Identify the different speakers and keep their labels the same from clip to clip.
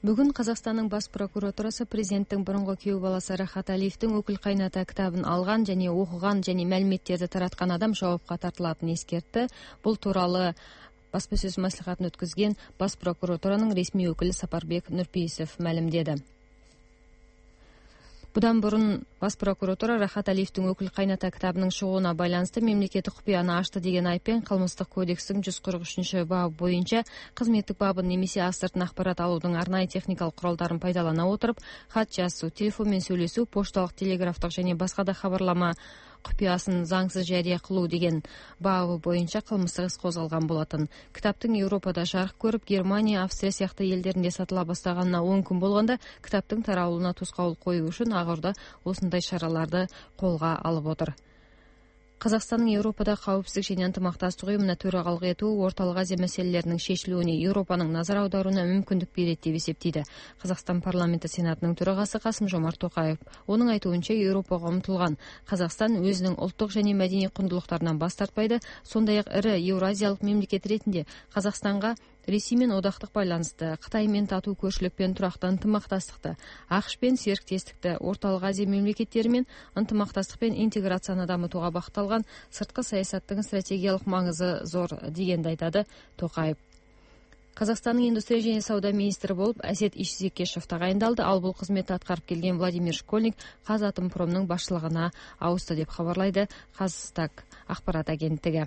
Speaker 1: Бүгүн Казакстандын бас прокуратурасы президенттин мурунку күйөө баласы Рахат Алиевдин «Өкүл кайната» китабын алган жана окуган жана маалиметтерди тараткан адам жоопко тартылатынын эскертти. Бул тууралуу басма сөз маслихатын өткөзгөн бас прокуратуранын ресмий өкүлү Сапарбек Нурпейисов маалимдеди. Будан мурун бас прокуратура Рахат Алиевдин «Өкүл кайната» китабынын чыгууна байланыштуу мамлекеттик купуяны ачты деген айыппен Кылмыштык кодекстин 143-бабы боюнча кызметтик бабын немесе асыртын акпарат алуудун арнайы техникалык куралдарын пайдалана отуруп, кат жазуу, телефон менен сүйлөшүү, пошталык, телеграфтык жана башка да кабарлама купуясын заңсыз жарыя кылуу деген бабы боюнча кылмыштык иш козголгон болотун. Китаптын Европада жарык көрүп, Германия, Австрия сыяктуу элдеринде сатыла баштаганына 10 күн болгондо китаптын таралууна тускоолук коюу үчүн Агырда осундай чараларды колго алып отур. Казакстандын Европада кауіпсіздік және ынтымақтастық уюмуна төрагалык этүү Ортолук Азия маселелеринин шешилүүнө Европанын назар аударууна мүмкүндүк берет деп эсептейди Казакстан парламенти сенатынын төрагасы Касым-Жомарт Токаев. Онун айтуунча, Европага умтулган Казакстан өзүнүн улуттук жана маданий кундулуктарынан баш тартпайды. Сондай-ак ири Евразиялык мемлекет ретинде Казакстанга Ресей менен одактык байланышты, Кытай менен татуу көршүлүк менен турактуу ынтымактастыкты, АКШ менен сериктестикти, Ортолук Азия мемлекеттери менен ынтымактастык менен интеграцияны дамытууга багытталган сырткы саясаттын стратегиялык маңызы зор дегенди айтады Токаев. Казакстандын индустрия жана сауда министри болуп Асет Ишзекешев тагайындалды. Ал бул кызметти аткарып келген Владимир Школьник Казатомпромдун башчылыгына ауысты деп кабарлайды Казстаг акпарат агенттиги.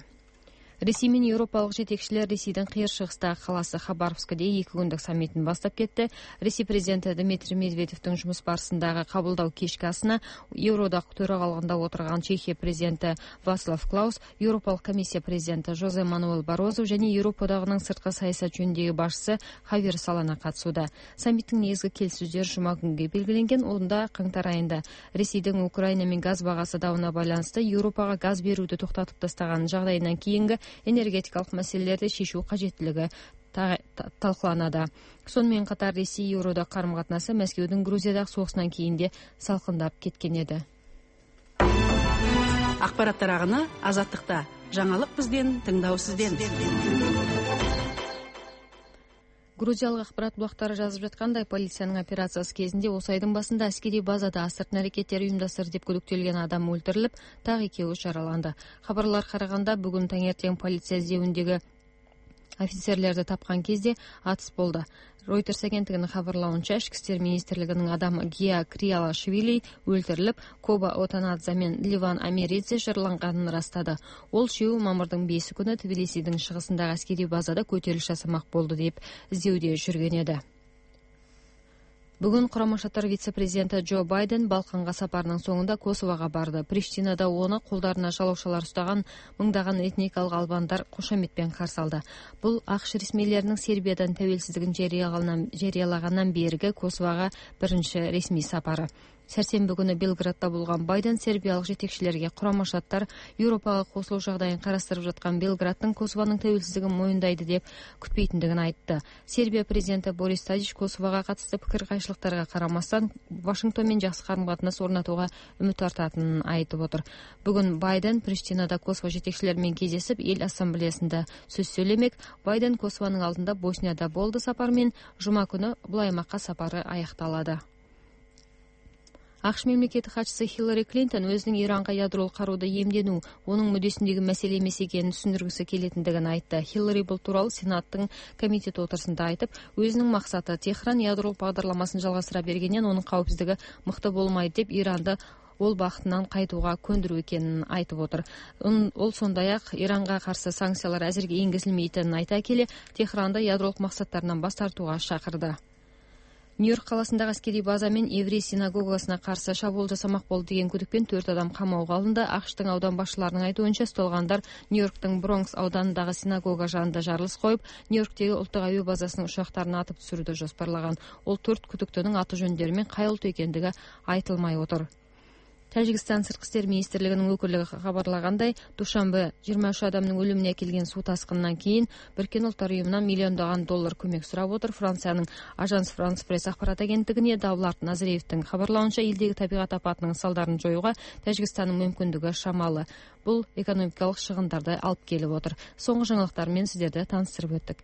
Speaker 1: Ресей менен европалык жетекчилер Ресейдин кыйыр чыгыстагы каласы Хабаровскде 2 күндүк саммитин баштап кетти. Ресей президенти Дмитрий Медведевдин жумуш барысындагы кабылдоо кечки асына Евродак төрагалыгында отурган Чехия президенти Вацлав Клаус, Европалык комиссия президенти Жозе Мануэл Барозу жана Европадагынын сырткы саясат жөнүндөгү башчысы Хавьер Солана катышууда. Саммиттин негизги келишүүлөрү жума күнгө белгиленген. Онда каңтар айында Ресейдин Украина менен газ багасы дабына байланыштуу Европага газ берүүдү токтотуп тастаган жагдайынан кийинки энергетикалык маселелерди шешүү кажеттилиги талкууланады. Сонун катар Ресей Евродак карым-катнашысы Мәскеудүн Грузиядагы согушунан кийинде салкындап кеткен эди.
Speaker 2: Акпараттар агыны Азаттыкта. Жаңылык бизден, тыңдоо сизден.
Speaker 1: Грузиялык акпарат булактары жазып жаткандай, полициянын операциясы кезинде осы айдын башында аскерий базада асыртын аракеттер уюмдаштырды деп күдүктөлгөн адам өлтүрүлүп, так 2 жараланды. Кабарларга караганда, бүгүн таңертең полиция издөөндөгү офицерлерди тапкан кезде атыс болду. Reuters агенттигинин кабарлауынча, Ички иштер министрлигинин адамы Гия Криалашвили өлтүрүлүп, Коба Отанадзе менен Ливан Америдзе жараланганын ырастады. Ол үшөө мамырдын 5 күнү Тбилисидин чыгысындагы аскерий базада көтөрүлүш жасамак болду деп издөөдө жүргөн эди. Бүгүн Курама Шаттар вице-президенти Джо Байден Балканга сапарынын соңунда Косового барды. Приштинада оны колдарына жалоошалар уштаган мыңдаган этникалык албандар кошометпен каршы алды. Бул АКШ ресмийлеринин Сербиядан тәуелсиздигин жарыялагандан берги Косового биринчи ресмий сапары. Сәрсенбі күнү Белградда болгон Байден сербиялык жетекчилерге Курама Шаттар Европага косулуу жагдайын карастырып жаткан Белграддын Косованын тәуелсиздигин моюндайды деп күтпейтиндигин айтты. Сербия президенти Борис Тадич Косового катысты пикир кайшылыктарга карамастан Вашингтон менен жакшы карым-катнаш орнотууга үмүт артатынын айтып отур. Бүгүн Байден Приштинада Косово жетекчилери менен кездешип, эл ассамблеясында сөз сүйлөмек. Байден Косованын алдында Боснияда болду. Сапар менен жума күнү бул аймакка сапары аякталады. АКШ мемлекеттик катчысы Хиллари Клинтон өзүнүн Иранга ядролук карууду эмденүү онун мүддөсүндөгү маселе эмес экенин түшүндүргүсү келетиндигин айтты. Хиллари бул тууралуу Сенаттын комитет отурусунда айтып, өзүнүн максаты Техран ядролук багдарламасын жалгастыра бергенен онун кауіпсиздиги мыкты болмайт деп Иранды ол бактынан кайтууга көндүрүү экенин айтып отур. Ол сондай-ак Иранга каршы санкциялар азыркы энгизилмейтинин айта келе, Техранды ядролук максаттарынан баш тартууга чакырды. Нью-Йорк каласындагы аскерий база мен еврей синагогасына каршы шабуул жасамак болду деген күдүкпен 4 адам камоого алынды. АКШтын аудан башчыларынын айтуунча, ушталгандар Нью-Йорктун Бронкс ауданындагы синагога жанында жарылыш коюп, Нью-Йорктеги улуттук авиа базасынын учактарын атып түшүрүүдү жоспарлаган. Ол 4 күдүктүүнүн аты жөндөрү менен кайылтуу экендиги айтылмай отур. Тажикстан сырткы иштер министрлигинин өкүлү кабарлагандай, душанбе 23 адамдын өлүмүнө келген суу ташкынынан кийин Бириккен Улуттар уюмунан $миллиондогон көмөк сурап отур. Франциянын Ажанс Франс пресс акпарат агенттигине Давлат Назариевдин кабарлауынча, элдеги табигат апатынын салдарын жоюуга Тажикстандын мүмкүндүгү шамалы. Бул экономикалык чыгымдарды алып келип отур. Соңку жаңылыктар менен сиздерди тааныштырып өттүк.